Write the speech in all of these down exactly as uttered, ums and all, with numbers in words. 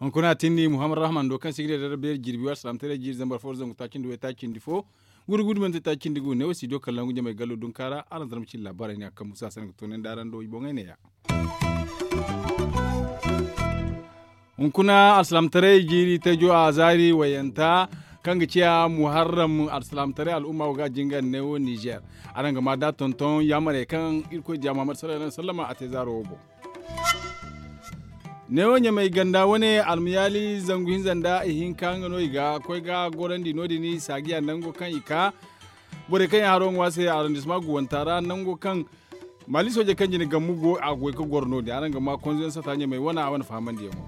Hunkuna tindi muhammad rahman do kaŋ sigire da beeri jirbi war salaamtaray jiiri zambar fo zangu taaci nda way taaci nda fo. Guri guri mante taaci nda gu ne wo si do kallon gu ɲamay gallo dunkaara araŋ zarma cine laabaarey ne a kaŋ musa sanda ga toonandi araŋ do i boŋey ne ya. Hunkuna alsilaamataray jiiri tajo a zaari wayanta kaŋ ga ciya muharram alsilaamataray al'umma wo ga a jingar neewo nizer. Araŋ ga ma da tonton yaamarey kaŋ irkoy diya muhammad sallallahu alaihi wasallama a te zaaro wo boŋ. Neewo ɲamay ganda wane almayaali zangu hinza nda ihinka nga no i ga koy ga gorandi no- din saagiya nango kaŋ i ka borey kaŋ yaŋ haro ŋwa se arrondissement guwanta ra nango kaŋ maali soojey kaŋ jine gammu go a goy ga goro no- din araŋ ga ma konzo yaŋ sata ɲamey wane a wane fahamandiyaŋo.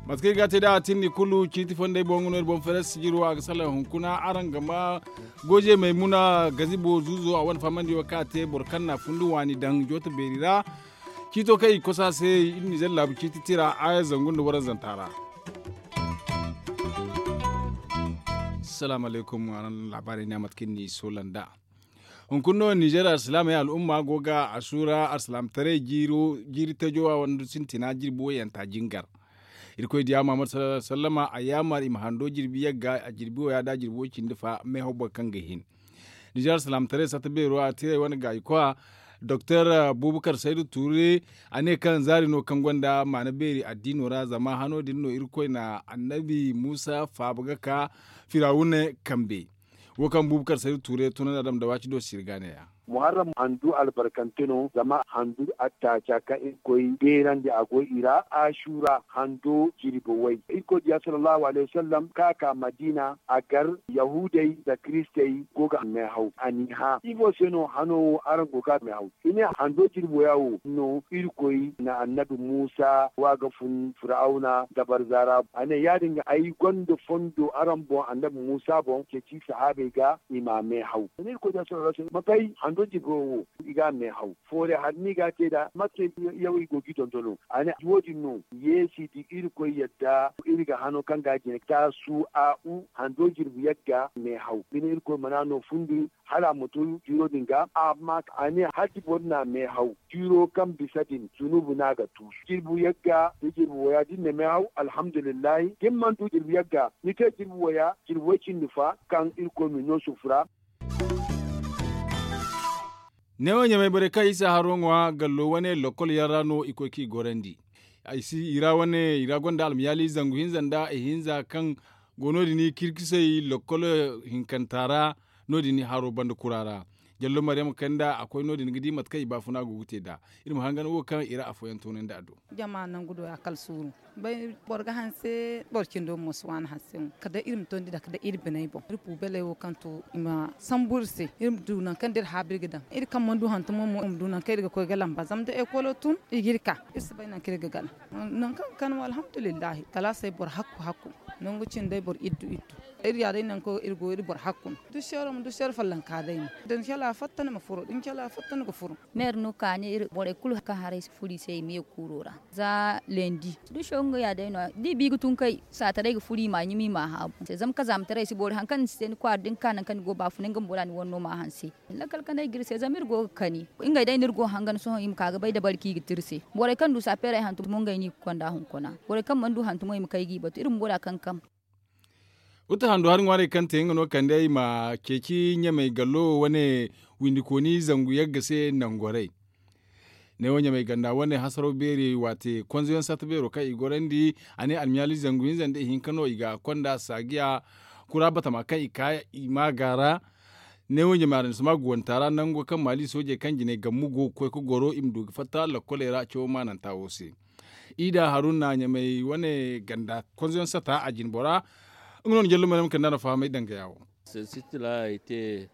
Mate kaŋ i ga a te nd'a a tindi kulu ciiti fondey boŋ no iri boŋ feres sijiro a ga salaŋ hunkuna araŋ ga ma goje maymuna gazibo zuuzo a wane fahamandiyaŋo kaŋ a te boro kaŋ na a fundi waani daŋ joota beeri ra. Ciito kaŋ i ga kosa se iri nizer laabu ciiti tira aya zangu nda waranzanta ra. Salaamu alaykum araŋ laabaarey ne a mate kaŋ ni soola nd'a. Hunkuna no nizer alsilaamey al'umma go ga asuura alsilaamataray jiiri tajo a wanda sintina jirbi wayanta jingar. Irkoy diya muhammad sallallahu alaihi wasallama a yaamar i ma hando jirbi yagga a jirbi waya da jirbi way cindi fa meehaw boro kaŋ ga hin. Nizer alsilaamataray satta beero a tiray wane gaayi koya doktor bubakar saydu tuure a ne kaŋ zaari no kaŋ gonda maana beeri addiino ra zama hano din no irkoy na annabi muusa faaba ga ka firawuna kambe. Wo kaŋ bubakar saydu tuure tunandi a dam da waati do sirga ne ya. Muharram handu albarkante no zama handu attaaca kaŋ irkoy beerandi a goy i ra asuura hando jirbi way irkoy diya sallallahu alaihi wasallam kaŋ a ka madiina a gar yahuudey nda kiristey go ga meehaw a n'i hã ifo se no hano wo araŋ go ga meehaw i ne hando jirbi waya wo no irkoy na annabi muusa wa ga fun firawuna dabarza ra a ne ya- din ga ay gonda fondo araŋ boŋ annabi muusa boŋ ceeci sahaabey ga i m'a meehaw. Ni koy da soro rasu ma bay hando jibo wo i ga meehaw foore har ni ga te da mate yaw i go gi dondono a ne wo- din no yeesi di irkoy yadda iri ga hano kaŋ ga jine taasu a u hando jirbi yagga meehaw bine irkoy mana no fundi hala a ma to jiiro din ga amma a ne hati boro na meehaw jiiro kaŋ bisa din zunubu no a ga tuusu jirbu yagga da jirbu waya da ni na meehaw alhamdulillahi da ni mana du jirbu yagga ni te jirbu waya jirbu way cindi fa kaŋ irkoy ma ni no sufu ra. Neewo ɲamay borey kaŋ isa haro ŋwa gallo wane lokkol yaŋ ra no i koy k'i gorandi. I ra wane i ra gonda almayaali zangu hinza nda ihinza kaŋ go no- din kirkisey lokkol hinkanta ra no- din haro banda kura ra. Jallo maryama kanda a koy no- din ga di mate kaŋ i baafuna go ga te nd'a. Iri ma hangan wo kaŋ i ra afooyaŋ toonandi a do. Jama nangu do ya kala suuru boro ga hanse boro cindo mo si waani hanse. Kala day iri ma tondi nda kala day iri biney boŋ iri puubeley wo kaŋ to i ma sambu iri se iri ma du nangu kaŋ da iri haabu iri ga daŋ iri kaŋ mana du hantumo mo iri ma du nangu kaŋ iri ga koy ga lamba zama da ekolo tun i ga iri ka. Iri si bay nangu kaŋ iri ga gana nangu kaŋ ga kande mo alhamdulillahi kalaasey boro hakku hakku. Nangu cindey boro iddu iddu iri ya day nangu kaŋ iri go iri boro hakku no. Duseero ma duseero follonka day no da ni shala fatta ni ma furo da ni shala fatta ni ga furo. Meeri no kaani iri borey kulu kaŋ haray si furo i se i ma ye kuuro ra. Za lendi duso nga ya day no ya da i bi ga tun kay saataray ga furo i ma a ɲimi i ma a haabu zama kazaamataray si boori hari kaŋ ni si te ni kwaara da ni ka nangu kaŋ ni go baafunay nga bumbo da ni wane no ma a hanse. Lakkal kanay ga iri se zama iri go ga kani ngey day no iri go ga hangan sohõ i ma ka ga bay dabari kaŋ i ga te iri se. Borey kaŋ du saapeerey hantum mo ngey no i ga konda hunkuna borey kaŋ mana du hantumo i ma kay g'i batu iri bumbo da kankam. Uta handu hari ŋwaarey kaŋ te nga no kande ay ma ceeci ɲamay gallo wane windikooni zangu yagga se nangorey. Neewo ɲamay ganda wane hasaraw beeri waate konzoyaŋ satta beero kaŋ i gorandi a ne almiyaali zangu hinza nda ihinka no i ga konda saagiya kura batama kaŋ i ka i ma gaara. Neewo ɲamay araŋ si ma guwanta ra nango kaŋ maali soojey kaŋ jine gammu go ga koy ga goro i ma du ga fatta lakkoley ra cawo maananta wo se. Ida haruna ɲamay wane ganda konzoyaŋ sata a jinbora. Nga no na jallo mana ma kanda no fahamay danga yawo. Sitila i te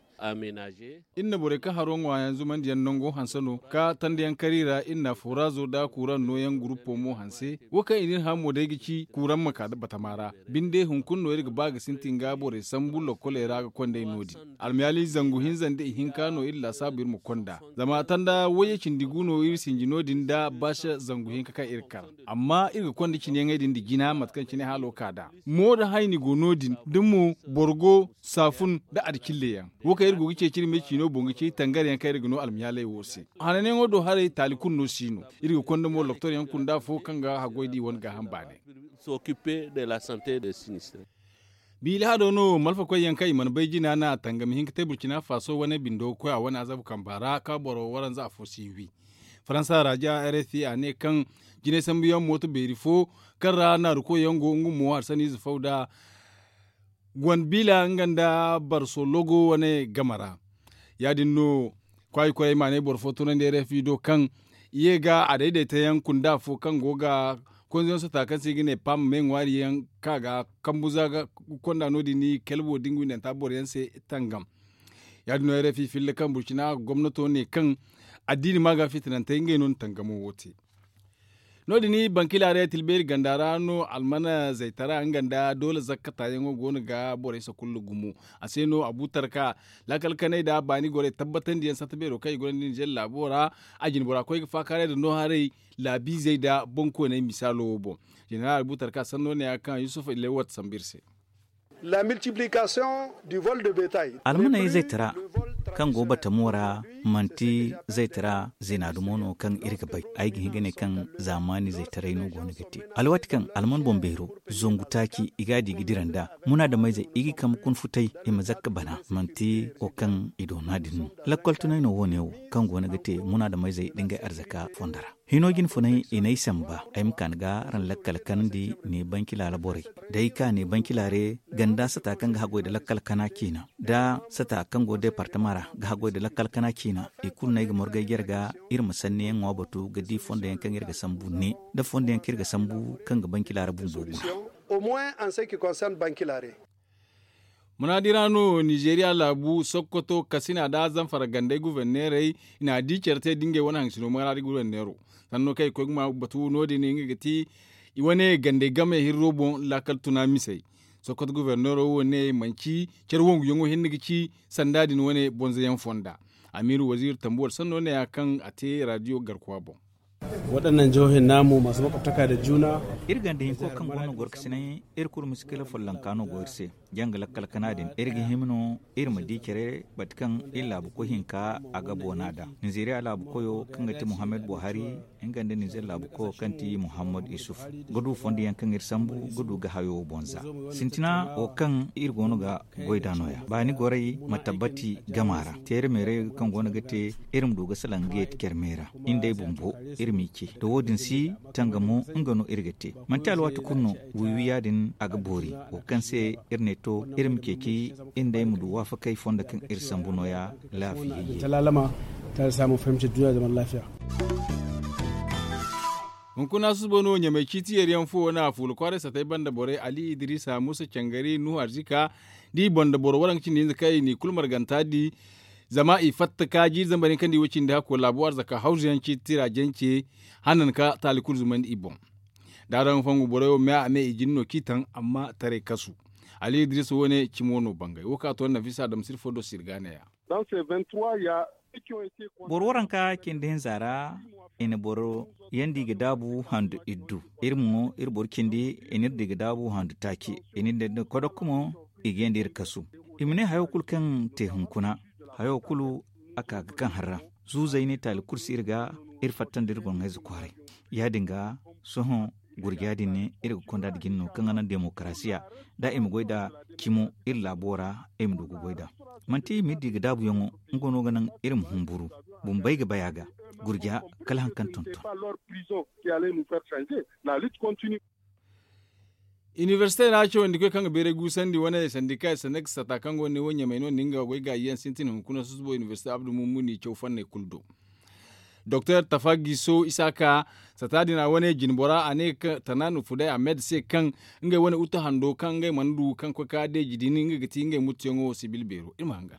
Iri na borey kaŋ haro ŋwaayaŋ zumandiyaŋ nango hanse no ka tandiyaŋ kar i ra. Iri na foraazo nda kuuraŋ nooyaŋ gurupo mo hanse. Wo kaŋ i na iri hã mo day ga ci kuuraŋ ma ka batama ra. Binde hunkuna no iri ga ba ga sintin ga borey sambu lokkoley ra ga konda iri no- din. Almayaali zangu hinza nda ihinka no iri laasaabu iri ma konda. Zama tanda wayye cindi gu no iri sinji no- din nda baasa zangu hinka kaŋ iri kar. Amma iri ga konda cine yaŋey din nda jina mate kaŋ cine haalo ka nd'a. Mo nda hayni go no- din da mo boro go saafun nda adicille yaŋ. Wo kaŋ iri go ga ceeci iri me ciino boŋ ga ci tangar yaŋ kaŋ iri ga no almiyaaley wo se. Hananyaŋo do haray taali kulu no si no. Iri ga konda mo loktor yaŋ kunda fo kaŋ ga haggoy da i wane gaaham baanay. Biila hado no malfakoy yaŋ kaŋ i mana bay jina na tangam hinka te burcina faso wane bindo ga koy a wane azabu kamba ra ka boro waranza afo si wi. Faransa ra ja rfi a ne kaŋ jinay sambu yaŋ mooto beeri fo kaŋ ra naaru koy yaŋ go nga mo harsaniize faw da gonbiila nga nda barso logo wane game ra. Ya- din no kwaayi koray ma ne boro fo tunandi rfi do kaŋ i ye ga a daydayta yaŋ kunda fo kaŋ go ga konzoyaŋ sota kaŋ se i ga ne pam me ŋwaari yaŋ kaŋ a ga kambu za ga konda no- din i kalbo da nga windanta boro yaŋ se tangam. Ya- din no rfi filla kaŋ burcina gomnato ne kaŋ addiini ma ga fitinantey ngey no na tangamo wo te. No- din bankilaaray tilbeeri ganda ra no almana zaytara nga nda doole zakkata yaŋo go no ga borey sakulla gumo. A se no abu tarka laakal kanay nda baani gorey tabbatandi yaŋ satta beero kaŋ i gonda ninzeer laabo ra. A jine bora koy ga faakaaray nda no haray laabiizey nda boŋkooney misaalo wo boŋ. Jeneral abu tarka sanno ne ya kaŋ yusuf ilewat sambu iri se. Almaney zaytara kaŋ go batamo ra manti zaytara zina dumo no kaŋ iri ga bay. Ay ga hin ga ne kaŋ zaamaani zaytaray no go no ga te alwaati kaŋ alman boŋ beero zangu taaci i ga a di ga dira nd'a. Munaadameyzey i ga i kambe kuna futay i ma zakka bana manti wo kaŋ i doona din no. Lakkol tunay no wo- ne wo kaŋ go no ga te munaadameyzey da ngey arzaka fondo ra. Hino jine funay i n'ay samba ay ma ka ni ga araŋ lakkal kanandi ne bankila ra borey da ay ka ne bankila ra ganda sata kaŋ ga haggoy nda lakkal kana ciina nda sata kaŋ go deepartama ra ga haggoy nda lakkal kana ciina. I kulu no ay ga morgay jare ga iri ma sanniyaŋ ŋwa batu ga di fondo yaŋ kaŋ iri ga sambu ne nda fondo yaŋ kaŋ iri ga sambu kaŋ ga bankila ra bumbo guna. Munaadi ra no nizeeriya laabu sokoto kasina nda zamfara gandey guverneerey i n'a di care te da ngey wane haŋ sino munaadi guverneero. Sanno kaŋ i koy ga ma batu no- din nga ga ti i wane gandey game hirro boŋ laakal tuna misey. Sokoto guverneero wo ne manci care wonguyaŋo hinne ga ci sanda din wane bonzo yaŋ fonda. Amiiru waziiri tambuwar sanno ne ya kaŋ a te raadiyo garkuwa boŋ. Waɗannan jihohin namu masu makwabtaka da juna. Iri ganda hinko kaŋ go no gorkasinay iri kulu misikila follonka no go iri se. Janga lakkal kana din iri ga hima no iri ma di care bate kaŋ iri laabu koy hinka a ga boona da nizeeriya laabu koyo kaŋ ga ti muhammad buhari nga nda nizeer laabu koyo kaŋ ti muhammad isuf ga du fondo yaŋ kaŋ iri sambu ga du ga hayo boŋ za. Sintina wo kaŋ iri go no ga goy da no- ya baani goray ma tabbati gama ra teere meeray kaŋ go no ga te iri ma du ga salaŋ ga yeeti care meera. Iri nd'ey bumbo iri m'i ce da wo- din si tangamo nga no iri ga te. Manti alwaati kulu no wiiwi ya- din a ga boori wo kaŋ se iri ne to iri ma ceeci iri nd'ey ma du waafakey fondo kaŋ iri sambu no- ya. Laafiyayye. Hunkuna susubo no ɲamay ciiti yeeriyaŋ fo wane a fuula kwaaray satay banda borey ali idiriisa muusa cangari nuhu arzika da i banda boro waranka cindi hinza kaŋ i n'i kulu marganta di. Zama i fatta ka jiiri zambar yaŋ kaŋ di wo cindi hakko laabu arzaka hawzu yaŋ ciiti tira jance hanan ka taali kulu zumandi i boŋ. Da araŋ fongu borey wo me a me i jin no k'i taŋ amma taray kasu. Ali idiriisa wo- ne cimo no bangay wo ka to nafisa dam sirfo do sirgaana ya. Boro waranka cindi hinza ra i na boro yaŋ di ga daabu handu iddu. Iri mo iri boro cindi i n'iri di ga daabu handu taaci i n'iri di kodok mo. I ga yaŋ da iri kasu i ma ne hayo kulu kaŋ te hunkuna hayo kulu a ka ga kaŋ harra. Zuuzey ne taali kulu si iri ga iri fatta nda iri boŋ hayze kwaaray. Ya- din ga sohõ gurja din ne iri ga konda nda jine no kaŋ ga naŋ demokarasiya da i ma goy nda cimo iri laabo ra. I ma du ga goy nd'a manti i m'iri di ga daabuyaŋo nga no ga naŋ iri ma humburu. Bumbey ga bay a ga gurja kala hari kaŋ tonton. Inibersite ra cawandikoy kaŋ ga bayray guusandi wane sandika sanda ga sata kaŋ go ga ne wo ɲamay no- din nga goy gaayi yaŋ sintin hunkuna susubo inibersite abdu mummuni caw fanney kulu do. Doktor tafa giso isaaka sata din a wane jinbora a ne tana nufu day a med se kaŋ ngey wane utu hando kaŋ ngey mana du kaŋ koy ka deeji din nga ga ti ngey muttuyaŋo sibil beero iri ma hangan.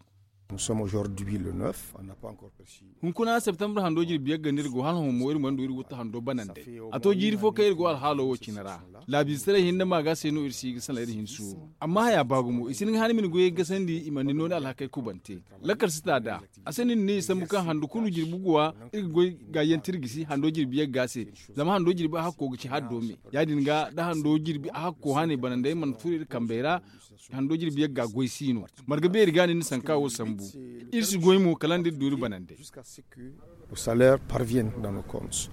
Nous sommes aujourd'hui le neuf, on n'a pas encore perçu. Hunkuna septembre hando jirbi yagga no iri go hala hõ mo iri mana du iri wutta hando banandey. A to jiiri fo kaŋ iri go alhaalo wo cine ra. Laabiize taray hinne maaga se no iri si ga sala iri hinsu. Amma haya ba gumo i si hin ga hana ma ni goyey gasandi i mana ni nooni alhakey kubante. Lakkal si ta da. A se no ni ne i sambu kaŋ handu kulu jirbi guwa iri ga goy ga yante iri gisi hando jirbi yagga se. Zama hando jirbi a hakko ga ci haddo me. Ya- din ga da hando jirbi a hakko hane banandey mana furo iri kambey ra. Hando jirbi yagga goy si no. Marga beeri ga ni ni sanka wo sambu. Iri si goy mo kala nda iri du iri banandey. Au salaire parviennent dans nos comptes.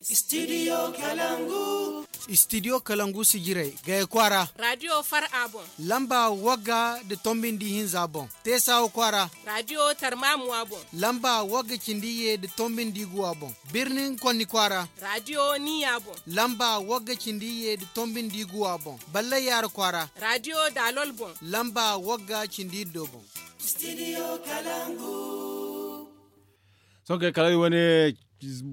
Studio kalangu. Studio kalangu si jiray gaya kwaara. Radio far a boŋ. Lamba wagga da tombindi hinza boŋ. Teesawa kwaara. Radio tarmamuwa boŋ. Lamba wagga cindi ye da tombindi guwa boŋ. Birnin konni kwaara. Radio niya boŋ. Lamba wagga cindi ye da tombindi guwa boŋ. Ballay yaara kwaara. Radio dalol boŋ. Lamba wagga cindi iddo boŋ. Studio kalangu. Sohõ kay kala iri wane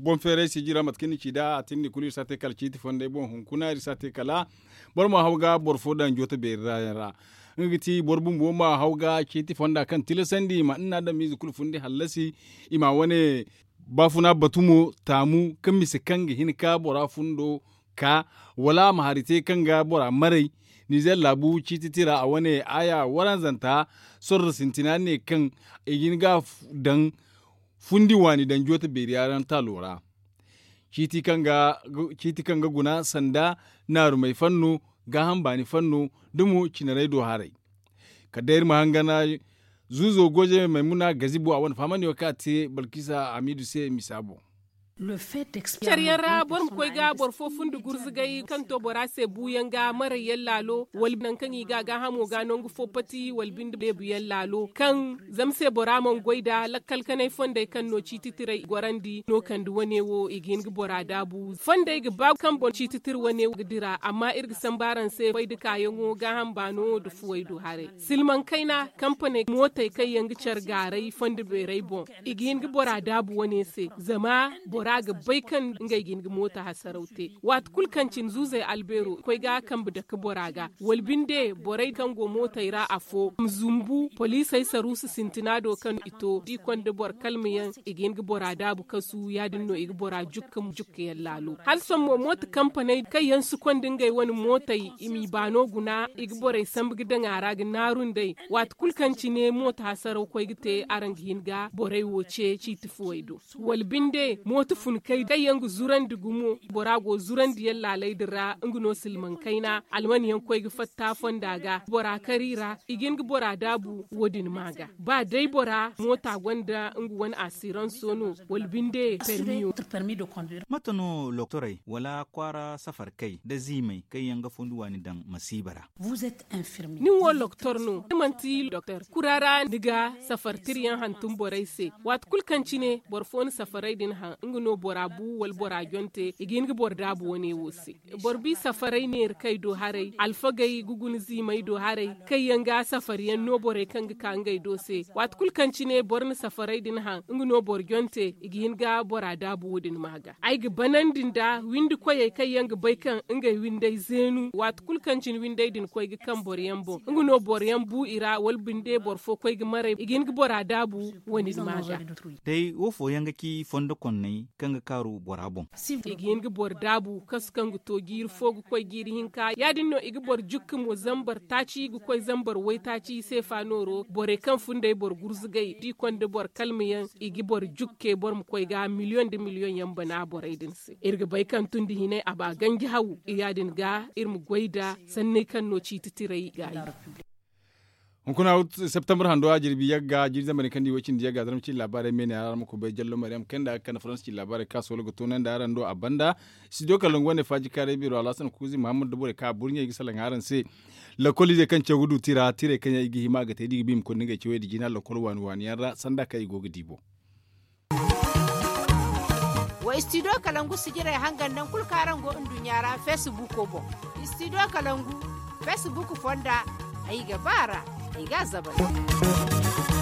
boŋ feeray sijira mate kaŋ ni ci nd'a a tindi kulu iri si a te kala ciiti fonday boŋ hunkuna iri si a te kala boro ma haw ga boro fo daŋ jooto beeri ra yaŋ ra. Nga ga ti boro bumbo ma haw ga ciiti fonda kaŋ tilasandi i ma nin adamize kulu fundi hallasi i ma wane baafuna batu mo taamu kaŋ mise kaŋ ga hin ka bora fundo ka wala a ma hari te kaŋ ga bora maray. Nizer laabu ciiti tira a wane aya waranzanta sorro sintina ne kaŋ i ga hin ga daŋ fundi waani daŋ jooto beeri yaŋ taalo ra. Ciiti kaŋ ga guna sanda naarumey fanno gaaham baani fanno da mo cinarey do haray. Kala day iri ma hangan zuuzo goje maymuna gazibo a wane fahamandi wo kaŋ a te balkisa hamiidu se misa boŋ. Care yaŋ ra boro ma koy ga boro fo fundi gurzugay kaŋ to bora se buuyaŋ ga maray yaŋ laalo wala nangu kaŋ i ga a gaahamo ga nangu fo pati wala binde deebu yaŋ laalo kaŋ zama se bora mana goy nd'a lakkal kanay fondey kaŋ no ciiti tiray gorandi no kande wane wo i ga hin ga bora daabu fondey ga ba kaŋ boŋ ciiti tira wane wo ga dira amma iri ga sambu araŋ se koy nda kaayaŋo gaaham baano nda fuwey do haray silmaŋ kayna kampaney mootey kaŋ yaŋ ga care gaaray fondo beerey boŋ i ga hin ga bora daabu wane se zama bora ga bay kaŋ ngey ga hin ga mooto hasaraw te waati kulu kaŋ cine zuuzey albeero koy ga kambe dake bora ga wala binde borey kaŋ go mootey ra afo ma zumbu poliisey saruusu sintina do kaŋ i to da i konda boro kalma yaŋ i ga hin ga bora daabu kasu ya- din no i ga bora jukka jukka yaŋ laalo hala sohõ mo mooto kampaney kaŋ yaŋ si konda ngey wane mootey i m'i baano guna i ga borey sambu ga daŋ a ra ga naaru nd'ey waati kulu kaŋ cine mooto hasaraw koy ga te araŋ ga hin ga borey wo ce ciiti fuwey do wala binde mooto funkey kaŋ yaŋ ga zurandi gumo bora go zurandi yaŋ laaley din ra nga no silmaŋ kayna alman yaŋ koy ga fatta fonda ga bora kari ra i ga hin ga bora daabu wo- din ma ga ba day bora moota gonda nga wane asiranso no wala binde permiyo. Mate no loktorey wala kwaara safar kay da ziimey kaŋ yaŋ ga fundi waani daŋ masiiba ra? Nin wo loktor no ni manti doktor kura ra ni ga safar tira yaŋ hantum borey se waati kulu kaŋ cine boro fo na safaray din haŋ nga no bora bu wala bora jonte i ga hin ga boro daabu wane wo se boro bi safaray neera kay do haray alfagey ga guna ziimey do haray kaŋ yaŋ ga safar yaŋ no borey kaŋ ga ka ngey do se waati kulu kaŋ cine boro na safaray din haŋ nga no boro jonte i ga hin ga bora daabu wo- din ma ga ay ga banandi nda windi koyey kaŋ yaŋ ga bay kaŋ ngey windey zeenu waati kulu kaŋ cine windey din koy ga kaŋ boro yaŋ boŋ nga no boro yaŋ bu i ra wala binde boro fo koy ga maray i ga hin ga bora daabu wane ni ma ga. Day wo fooyaŋ ga ci fondo konney kaŋ ga kaaru bora boŋ? I ga hin ga boro daabu kasu kaŋ ga to jiiri fo ga koy jiiri hinka ya- din no i ga boro jukka mo zambar taaci ga koy zambar waytaaci seefa nooro borey kaŋ funday boro gurzugay da i konda boro kalma yaŋ i ga boro jukke boro ma koy ga miliyoŋ nda miliyoŋ yaŋ bana borey din se iri ga bay kaŋ tun da hinay a ba ganji haw ya- din ga iri ma goy nda sanney kaŋ no ciiti tiray ga ay. Hunkuna septembre hando a jirbi yagga jirbi zamani kaŋ di way cindi yagga zarma cindi laabaarey meene a ra ma kubay jallo mariyam kenda ga kande faransa cindi laabaarey kaŋ a soolo ga toonandi araŋ do a banda. Studio kalangu wane faaji kaaray biro alhasan kuuzi muhammad da borey kaŋ a burɲey ga salaŋ araŋ se. Lakkol izey kaŋ caw ga du tira tirey kaŋ yaŋ i ga hima a ga te da i ga ba i ma koy nda ngey cawey da jiina lakkol waani waani yaŋ ra sanda kaŋ i go ga di boŋ. Wa studio kalangu sijirey hangan nangu kulu kaŋ araŋ go nduɲɲa ra facebook boŋ. Studio kalangu facebook fonda ay ga ba a ra ay ga a zabari.